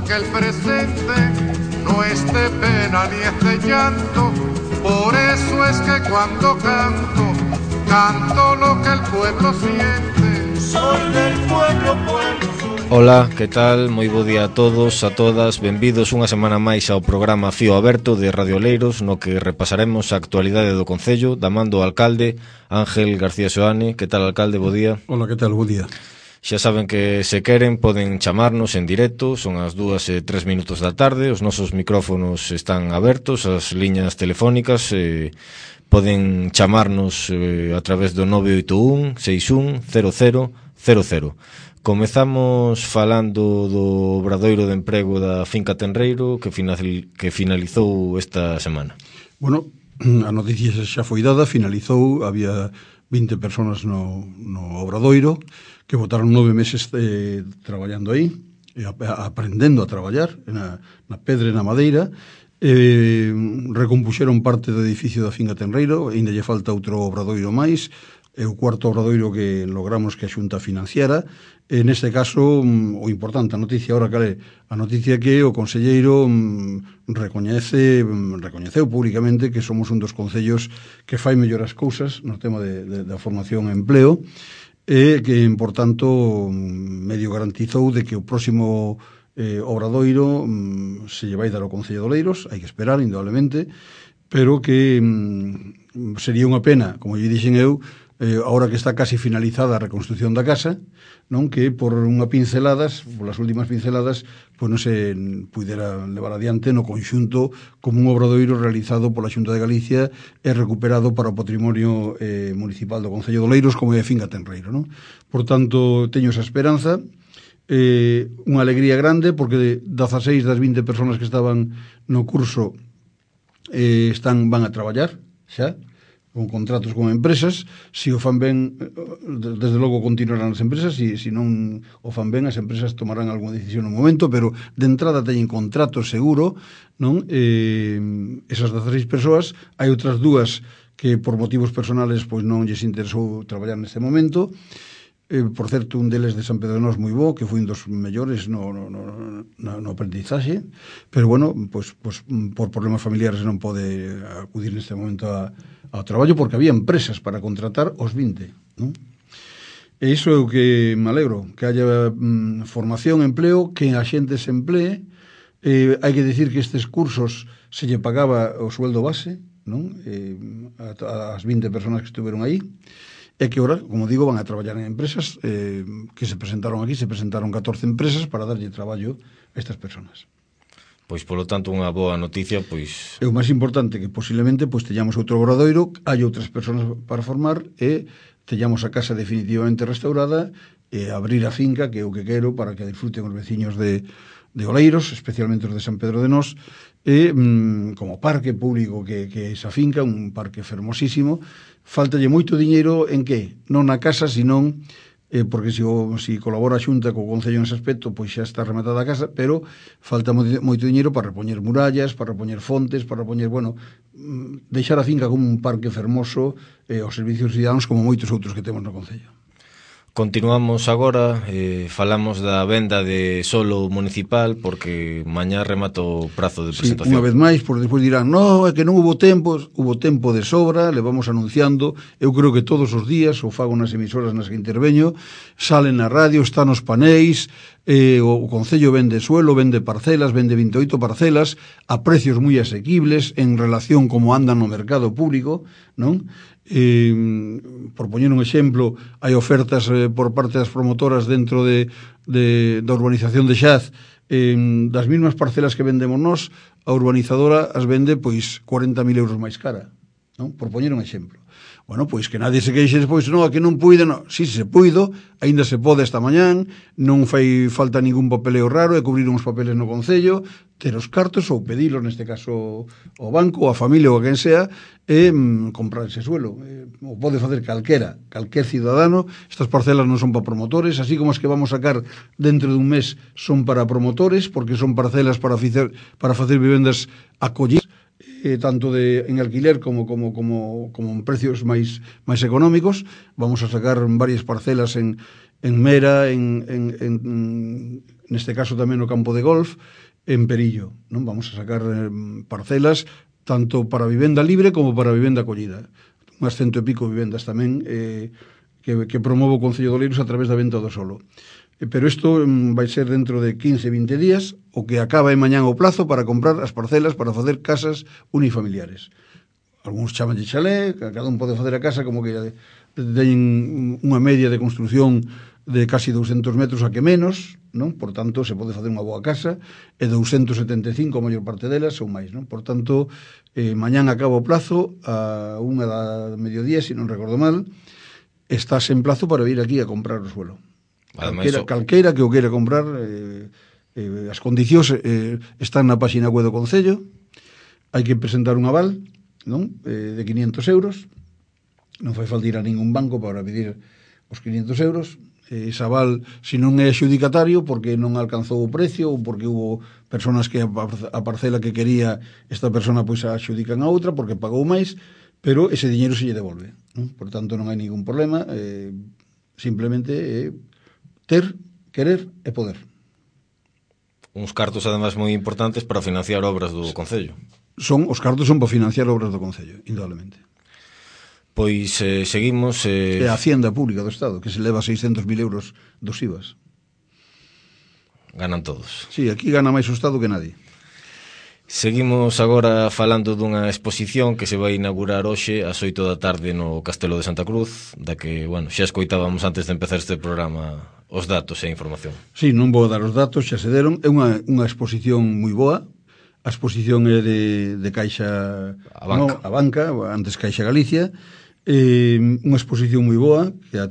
que el presente no es de pena ni es de llanto. Por eso es que cuando canto, canto lo que el pueblo siente. Soy del pueblo, pueblo. Ola, que tal? Moi bo día a todos, a todas. Benvidos unha semana máis ao programa Fío Aberto de Radio Oleiros, no que repasaremos a actualidade do Concello, da man do alcalde Ángel García Soane. Que tal, alcalde? Bo día. Ola, que tal? Bo día. Xa saben que se queren poden chamarnos en directo, son as 2:03 da tarde, os nosos micrófonos están abertos, as liñas telefónicas, poden chamarnos a través do 981 61 00 00. Comezamos falando do obradoiro de emprego da Finca Tenreiro que finalizou esta semana. Bueno, a noticia xa foi dada, finalizou, había 20 personas no obradoiro que botaron 9 meses traballando aí, aprendendo a traballar na pedra e na madeira, recompuxeron parte do edificio da Finca Tenreiro, ainda lle falta outro obradoiro máis, é o cuarto obradoiro que logramos que a Xunta financiara. Neste caso, o importante, a noticia ahora cal é? A noticia que o conselleiro recoñeceu públicamente que somos un dos concellos que fai mellor as cousas no tema da formación e empleo, e que, por tanto, medio garantizou de que o próximo obradoiro se lle vai dar ao Concello de Oleiros, hai que esperar, indudablemente, pero que sería unha pena, como lle dixen eu, ahora que está casi finalizada a reconstrucción da casa, non, que por unha pinceladas, por as últimas pinceladas, pois non se pudera levar adiante no conxunto como un obradoiro realizado pola Xunta de Galicia e recuperado para o patrimonio municipal do Concello de Oleiros, como é a Finca Tenreiro, non? Por tanto, teño esa esperanza, unha alegría grande, porque 16 das 20 personas que estaban no curso van a traballar xa, con contratos con empresas. Si o fan ben, desde logo continuarán as empresas, si non o fan ben, as empresas tomarán algunha decisión no momento, pero de entrada teñen contrato seguro, non? Esas 16 persoas, hai outras dúas que por motivos personales pois non lles interesou traballar neste momento. Por certo, un deles de San Pedro de Nós moi bo, que foi un dos mellores no aprendizaxe, pero bueno, pois por problemas familiares non pode acudir neste momento ao traballo, porque había empresas para contratar os 20, non? E iso é o que me alegro, que haya formación, empleo, que a xente se emplee. Hai que decir que estes cursos se lle pagaba o sueldo base, non? As 20 personas que estuveron aí, e que ahora, como digo, van a traballar en empresas que se presentaron aquí, se presentaron 14 empresas para darlle traballo a estas personas. Pois, polo tanto, unha boa noticia, pois... É o máis importante, que posiblemente pois teñamos outro obradoiro, hai outras persoas para formar e teñamos a casa definitivamente restaurada e abrir a finca, que é o que quero, para que disfruten os veciños de Oleiros, especialmente os de San Pedro de Nós, e como parque público que é esa finca, un parque fermosísimo. Faltalle moito diñeiro en que? Non na casa, senón porque si colabora a Xunta co Concello nese aspecto, pois xa está rematada a casa, pero falta moito diñeiro para repoñer murallas, para repoñer fontes, para repoñer, deixar a finca como un parque fermoso aos servicios cidadáns, como moitos outros que temos no Concello. Continuamos agora, falamos da venda de solo municipal, porque mañá remata o prazo de presentación. Unha vez máis, porque despois dirán, no, é que non hubo tempo de sobra, le vamos anunciando. Eu creo que todos os días, o fago nas emisoras nas que interveño, salen na radio, están os paneis, o Concello vende suelo, vende parcelas, vende 28 parcelas, a precios moi asequibles en relación como andan no mercado público, non? Por poñer un exemplo, hai ofertas por parte das promotoras dentro da urbanización de Xaz, das mesmas parcelas que vendemos nós, a urbanizadora as vende pois 40.000 euros máis cara, non? Por poñer un exemplo. Bueno, pois que nadie se queixe despois, non, que non puide, non. Si se puido, aínda se pode esta mañán, non fai falta ningún papeleo raro, é cubrir uns papeles no Concello, ter os cartos ou pedilos, neste caso ao banco, ou a familia ou a quen sea, e comprar ese suelo. O pode facer calquer cidadano. Estas parcelas non son para promotores, así como as que vamos sacar dentro dun mes son para promotores, porque son parcelas para facer vivendas acollidas, tanto en alquiler como en precios máis económicos. Vamos a sacar varias parcelas en Mera, en neste caso tamén no campo de golf, en Perillo, non? Vamos a sacar parcelas tanto para vivenda libre como para vivenda acollida. Unhas 100 e pico vivendas tamén que promove o Concello de Oleiros a través da venta do solo. Pero isto vai ser dentro de 15-20 días, o que acaba en mañán o plazo para comprar as parcelas para facer casas unifamiliares. Algúns chaman de chalé, cada un pode facer a casa como que teñen unha media de construción de casi 200 metros a que menos, non? Por tanto, se pode facer unha boa casa, e 275 a maior parte delas ou máis, non? Por tanto, mañán acaba o plazo a 1 da mediodía, se non recordo mal, estás en plazo para vir aquí a comprar o suelo. Calqueira que o queira comprar, as condicións están na página web do Concello, hai que presentar un aval, non? De 500 euros, non fai falta ir a ningún banco para pedir os 500 euros, ese aval, se non é adxudicatario porque non alcanzou o precio ou porque hubo personas que a parcela que quería esta persona pois a adxudican a outra porque pagou máis, pero ese diñeiro se lle devolve, non? Por tanto non hai ningún problema, simplemente ter, querer e poder. Uns cartos ademais moi importantes para financiar obras do Concello. Os cartos son para financiar obras do Concello, indudablemente. Pois seguimos... É a Hacienda Pública do Estado, que se leva 600.000 euros dos IVAs. Ganan todos. Sí, aquí gana máis o Estado que nadie. Seguimos agora falando dunha exposición que se vai inaugurar hoxe ás 8 da tarde no Castelo de Santa Cruz, da que, bueno, xa escoitábamos antes de empezar este programa os datos e a información. Sí, non vou dar os datos, xa se deron. É unha exposición moi boa. A exposición é de Caixa... A Banca, antes Caixa Galicia. Unha exposición moi boa que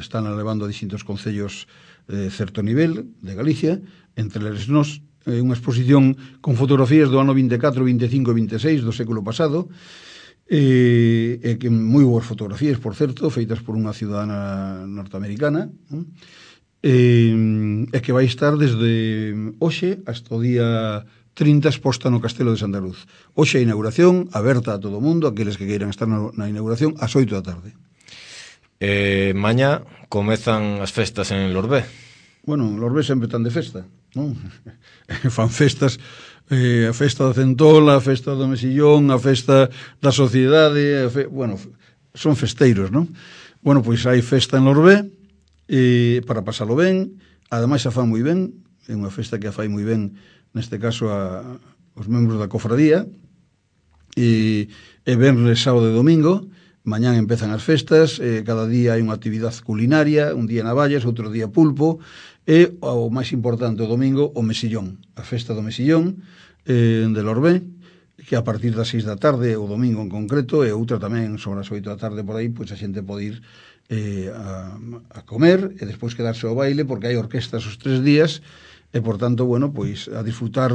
están levando a distintos concellos de certo nivel de Galicia, entre eles nós, unha exposición con fotografías do ano 24, 25 e 26 do século pasado, que moi boas fotografías, por certo, feitas por unha ciudadana norteamericana, e que vai estar desde hoxe hasta o día 30 exposta no Castelo de Santa Cruz. Hoxe a inauguración, aberta a todo o mundo, aqueles que queiran estar na inauguración, ás 8 da tarde. Mañá comezan as festas en Lorbé. Bueno, Lorbé sempre están de festa, non? Fan festas, a festa da Centola, a festa do Mesillón, a festa da Sociedade, bueno, son festeiros, non? Bueno, pois hai festa en Lorbé, para pasalo ben, ademais a fan moi ben, é unha festa que a fai moi ben, neste caso os membros da cofradía, e venres, sábado e domingo. Mañán empezan as festas, cada día hai unha actividade culinaria, un día navallas, outro día pulpo, e o máis importante o domingo, o Mesillón, a festa do Mesillón de Lorbé, que a partir das 6 da tarde, o domingo en concreto, e outra tamén sobre as 8 da tarde por aí, pois a xente pode ir a comer e despois quedarse ao baile, porque hai orquestas os 3 días, e, por tanto, bueno, pois a disfrutar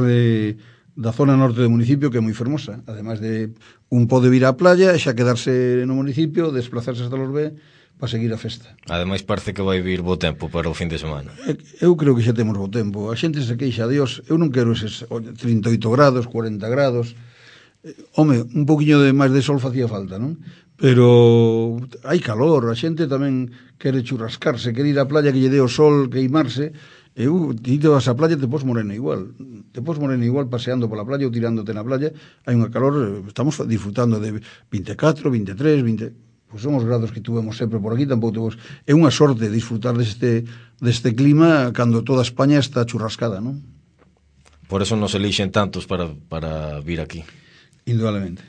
da zona norte do municipio, que é moi fermosa. Ademais de un pode vir á playa e xa quedarse no municipio, desplazarse hasta Lorbé para seguir a festa. Ademais parece que vai vir bo tempo para o fin de semana. Eu creo que xa temos bo tempo. A xente se queixa, Dios, eu non quero eses 38 grados, 40 grados. Home, un poquinho de máis de sol facía falta, non? Pero hai calor, a xente tamén quere churrascarse, quere ir á playa que lle dé o sol, queimarse. Ti te vas á playa, te pos morena igual. Te pos morena igual paseando pola playa ou tirándote na playa. Hai unha calor, estamos disfrutando de 24, 23, 20... Pois son os grados que tuvemos sempre por aquí, tampouco tuvemos... É unha sorte disfrutar deste clima cando toda España está churrascada, non? Por eso nos elixen tantos para vir aquí. Indudablemente.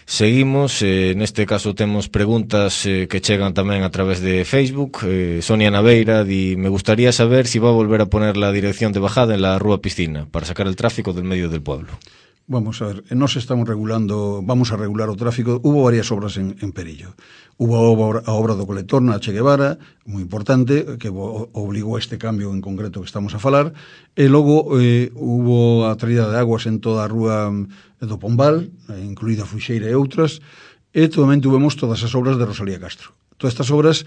Seguimos, neste caso temos preguntas que chegan tamén a través de Facebook. Sonia Naveira di: me gustaría saber si va a volver a poner la dirección de bajada en la Rúa Piscina para sacar el tráfico del medio del pueblo. Vamos a ver, nos estamos regulando, vamos a regular o tráfico. Hubo varias obras en Perillo. Hubo a obra do colector na Che Guevara, moi importante, que obligou a este cambio en concreto que estamos a falar, e logo hubo a traída de aguas en toda a rúa do Pombal, incluída Fuxeira e outras, e tamén tuvemos todas as obras de Rosalía Castro. Todas estas obras,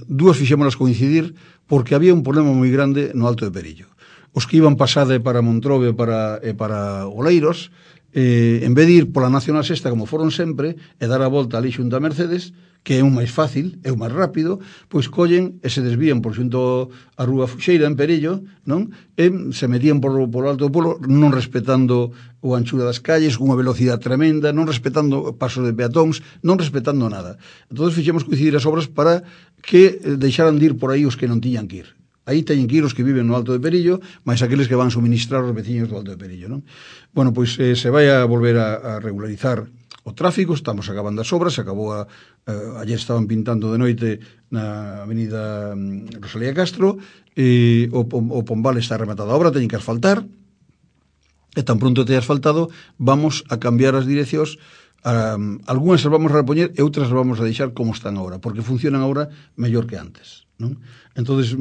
dúas fixémolas coincidir porque había un problema moi grande no Alto de Perillo. Os que iban pasade para Montrobe e para Oleiros en vez de ir pola Nacional Sexta como foron sempre e dar a volta ali xunto a Mercedes, que é un máis fácil, é un máis rápido, pois collen e se desvían por xunto a Rúa Fuxeira en Perello, non? E se metían por alto do polo, non respetando o anchura das calles, unha velocidade tremenda, non respetando pasos de peatóns, non respetando nada. Entón fixemos coincidir as obras para que deixaran de ir por aí os que non tiñan que ir. Aí teñen que ir os que viven no Alto de Perillo, máis aqueles que van suministrar os veciños do Alto de Perillo, non? Bueno, pois se vai a volver a regularizar o tráfico, estamos acabando as obras, acabou ayer estaban pintando de noite na avenida Rosalía Castro, e o Pombal está rematada a obra, teñen que asfaltar, e tan pronto te asfaltado, vamos a cambiar as direccións, algunhas as vamos a repoñer e outras as vamos a deixar como están agora, porque funcionan agora mellor que antes, non? Entonces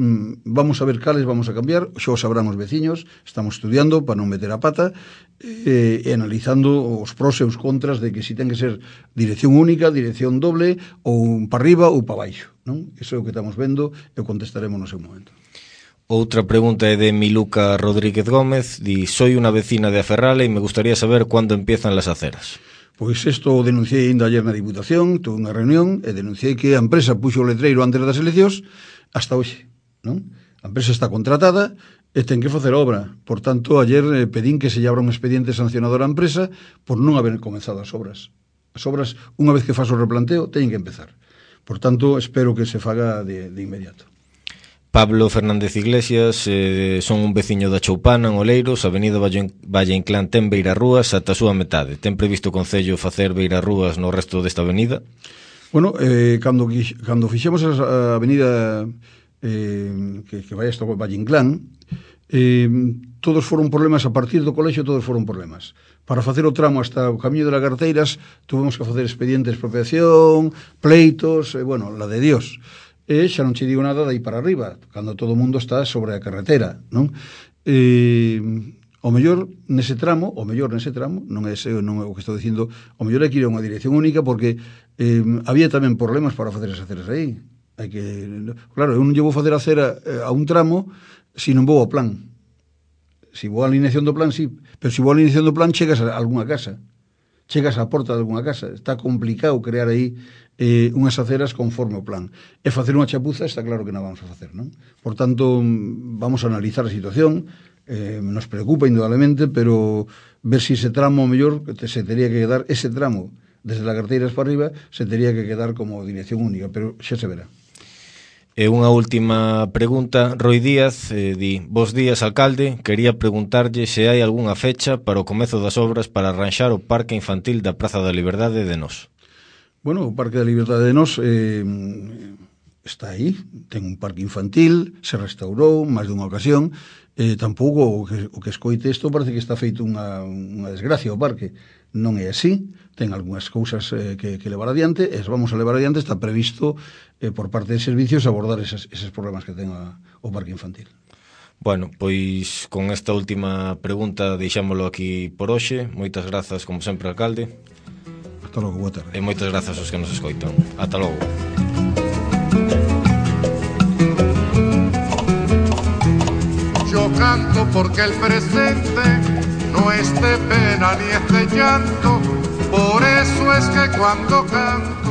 vamos a ver cales vamos a cambiar, xa o sabrán os veciños, estamos estudiando para non meter a pata e analizando os pros e os contras de que si ten que ser dirección única, dirección doble, ou para arriba ou para baixo, non? Iso é o que estamos vendo e o contestaremos no seu momento. Outra pregunta é de Miluca Rodríguez Gómez, di: soy unha vecina de Aferrala e me gustaría saber cuándo empiezan las aceras. Pois isto o denunciei ainda ayer na Diputación, tuve unha reunión e denunciei que a empresa puxo o letreiro antes das eleccións hasta hoxe, non? A empresa está contratada e ten que facer obra. Por tanto, ayer pedín que se lle abra un expediente sancionador á empresa por non haber comenzado as obras. As obras, unha vez que faz o replanteo, teñen que empezar. Por tanto, espero que se faga de inmediato. Pablo Fernández Iglesias, son un veciño da Choupana, en Oleiros, avenida Valle Inclán ten beirarrúas ata a súa metade. Ten previsto o Concello facer beirarrúas no resto desta avenida? Bueno, cando fixemos a avenida que vai hasta Valle Inclán, todos foron problemas, a partir do colexio todos foron problemas. Para facer o tramo hasta o Camiño de las Garteiras tuvemos que facer expedientes de expropiación, pleitos, bueno, la de Dios. E xa non che digo nada dai para arriba, cando todo o mundo está sobre a carretera, non? O mellor nese tramo, non é o que estou dicindo, o mellor é que ir a unha dirección única, porque había tamén problemas para facer as aceras aí. Claro, eu non lle vou facer a acera a un tramo se non vou ao plan. Se vou a alineación do plan, sí, pero se vou a alineación do plan chegas a algunha casa, chegas á porta de algunha casa. Está complicado crear aí unhas aceras conforme o plan. E facer unha chapuza está claro que non vamos a facer, non? Por tanto, vamos a analizar a situación, nos preocupa indudablemente, pero ver si ese tramo mellor se teria que quedar, ese tramo desde las Garteiras para arriba se teria que quedar como dirección única, pero xa se verá. E unha última pregunta, Roi Díaz di: bos días, alcalde, quería preguntarlle se hai algunha fecha para o comezo das obras para arranxar o parque infantil da Praza da Liberdade de Nós. Bueno, o Parque da Liberdade de Nós está aí, ten un parque infantil, se restaurou máis dunha ocasión, tampouco o que escoite isto parece que está feito unha desgracia o parque. Non é así, ten algunhas cousas que levar adiante, e vamos a levar adiante, está previsto por parte de servicios abordar eses problemas que ten o parque infantil. Bueno, pois con esta última pregunta deixámolo aquí por hoxe. Moitas grazas, como sempre, alcalde. Hasta logo, boa tarde. E moitas grazas aos que nos escoitan. Ata logo. Yo canto porque el presente no es de pena ni es de llanto, por eso es que cuando canto